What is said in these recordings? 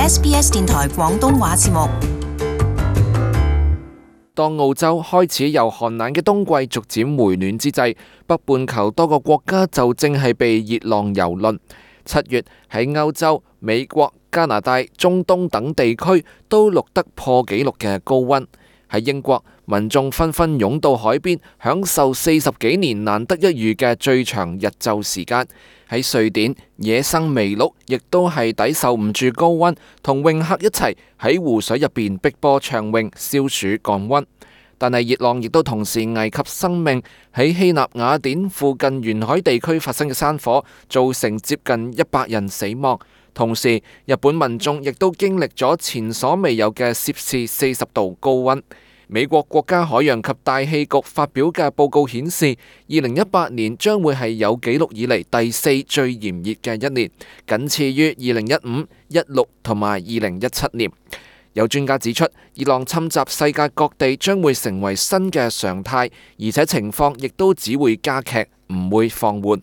SBS 電台廣東話節目。當澳洲開始由寒冷嘅冬季逐漸回暖之際，北半球多個國家就正係被熱浪蹂躪。7月喺歐洲、美國、加拿大、中東等地區都錄得破紀錄嘅高溫。喺英國，民眾紛紛湧到海邊，享受40幾年難得一遇嘅最長日晝時間。喺瑞典，野生麋鹿亦都係抵受唔住高溫，同泳客一齊喺湖水入邊碧波暢泳消暑降溫。但係熱浪亦都同時危及生命。喺希臘雅典附近沿海地區發生嘅山火，造成接近100人死亡。同時，日本民眾亦都經歷咗前所未有嘅攝氏40度高溫。美國國家海洋及大氣局發表嘅報告顯示，2018年將會係有紀錄以嚟第4最炎熱嘅一年，僅次於2015、16同埋2017年。有專家指出，熱浪侵襲世界各地將會成為新嘅常態，而且情況亦都只會加劇，唔會放緩。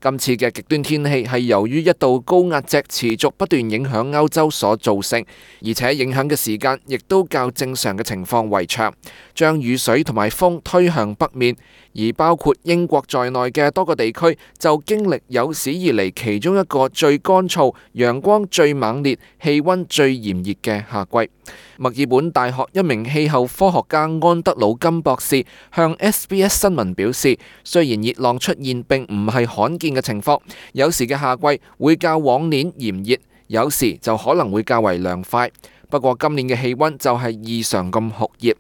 今次嘅極端天氣係由於一道高壓脊持續不斷影響歐洲所造成，而且影響嘅時間亦都較正常嘅情況為長，將雨水同埋風推向北面，而包括英國在內嘅多個地區就經歷有史以嚟其中一個最乾燥、陽光最猛烈、氣溫最炎熱嘅夏季。墨爾本大學一名氣候科學家安德魯金博士向 SBS 新聞表示，雖然熱浪出現並唔係罕見嘅情況，有時嘅夏季會較往年炎熱，有時就可能會較為涼快。不過今年嘅氣溫就係異常咁酷熱。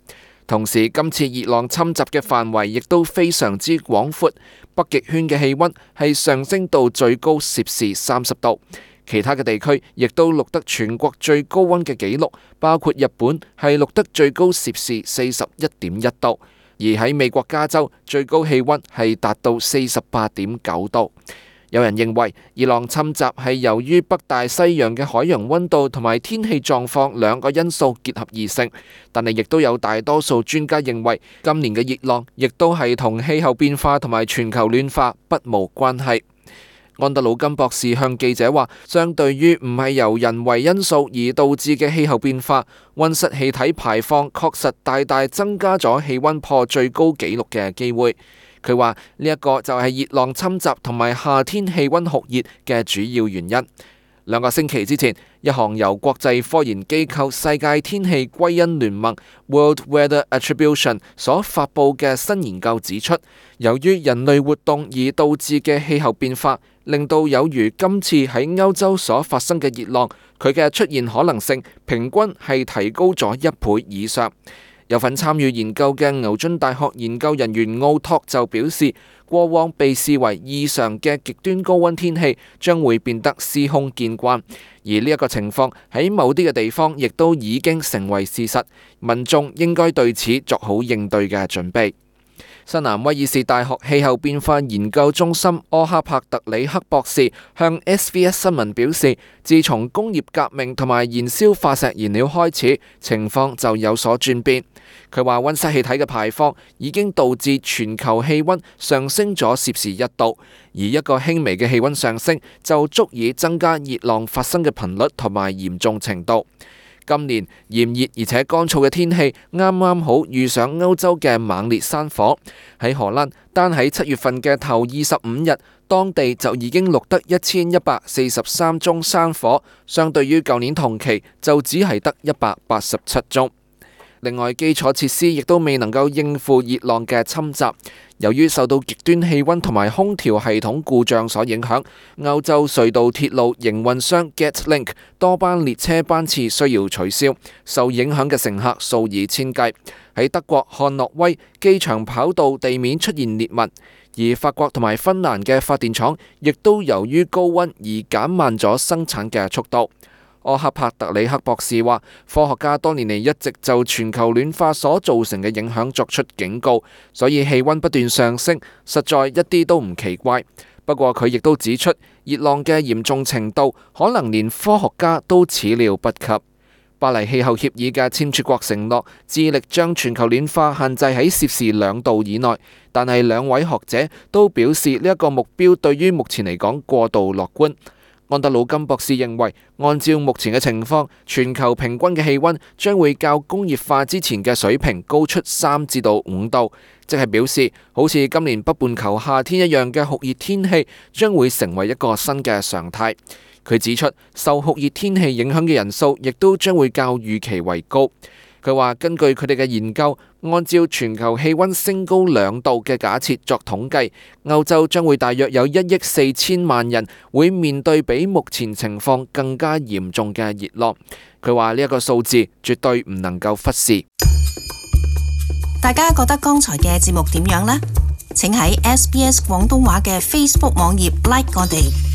同時，今次熱浪侵襲嘅範圍亦都非常之廣闊，北極圈嘅氣溫係上升到最高攝氏30度。其他嘅地區亦都錄得全國最高溫嘅紀錄，包括日本係錄得最高攝氏41.1度，而喺美國加州最高氣溫係達到48.9度。有人認為熱浪侵襲係由於北大西洋嘅海洋溫度同埋天氣狀況兩個因素結合而成，但係亦都有大多數專家認為今年嘅熱浪亦都係同氣候變化同埋全球暖化不無關係。安德魯金博士向記者話，相對於唔係由人為因素而導致嘅氣候變化，溫室氣體排放確實大大增加咗氣溫破最高紀錄嘅機會。佢話呢一個就係熱浪侵襲同埋夏天氣溫酷熱嘅主要原因。2個星期之前，一項由國際科研機構世界天氣歸因聯盟 World Weather Attribution 所發佈嘅新研究指出，由於人類活動而導致嘅氣候變化，令到有如今次喺歐洲所發生嘅熱浪，佢嘅出現可能性平均係提高咗1倍以上。有份參與研究嘅牛津大學研究人員奧托就表示，過往被視為異常嘅極端高溫天氣將會變得司空見慣，而呢一個情況喺某啲嘅地方亦都已經成為事實，民眾應該對此作好應對嘅準備。新南威爾士大學氣候變化研究中心柯克帕特里克博士向 SBS 新聞表示，自從工業革命同埋燃燒化石燃料開始，情況就有所轉變。佢話溫室氣體嘅排放已經導致全球氣溫上升咗攝氏1度，而一個輕微嘅氣溫上升就足以增加熱浪發生嘅頻率同埋嚴重程度。今年炎熱而且乾燥嘅天氣啱啱好遇上歐洲嘅猛烈山火。喺荷蘭，單喺7月份嘅頭25日，當地就已經錄得1143宗山火，相對於舊年同期就只係得187宗。另外，基礎設施亦都未能夠應付熱浪嘅侵襲。由於受到極端氣溫同埋空調系統故障所影響，歐洲隧道鐵路營運商 Getlink 多班列車班次需要取消，受影響嘅乘客數以千計。喺德國漢諾威，機場跑道地面出現裂紋，而法國同埋芬蘭嘅發電廠亦都由於高溫而減慢咗生產嘅速度。柯克帕特里克博士話，科學家多年嚟一直就全球暖化所造成嘅影響作出警告，所以氣溫不斷上升，實在一啲都唔奇怪。不過佢亦都指出，熱浪嘅嚴重程度可能連科學家都始料不及。巴黎氣候協議嘅簽署國承諾致力將全球暖化限制喺攝氏2度以內，但係2位學者都表示呢一個目標對於目前嚟講過度樂觀。安德魯金博士認為，按照目前嘅情況，全球平均嘅氣溫將會較工業化之前嘅水平高出3至5度，即係表示好似今年北半球夏天一樣嘅酷熱天氣將會成為一個新嘅常態。佢指出，受酷熱天氣影響嘅人數亦都將會較預期為高。佢話根據佢哋嘅研究，按照全球氣溫升高2度嘅假設作統計，歐洲將會大約有1億4千萬人會面對比目前情況更加嚴重嘅熱浪。佢話呢一個數字絕對唔能夠忽視。大家覺得剛才嘅節目點樣呢？請喺SBS 廣東話嘅 Facebook 網頁 like 我哋。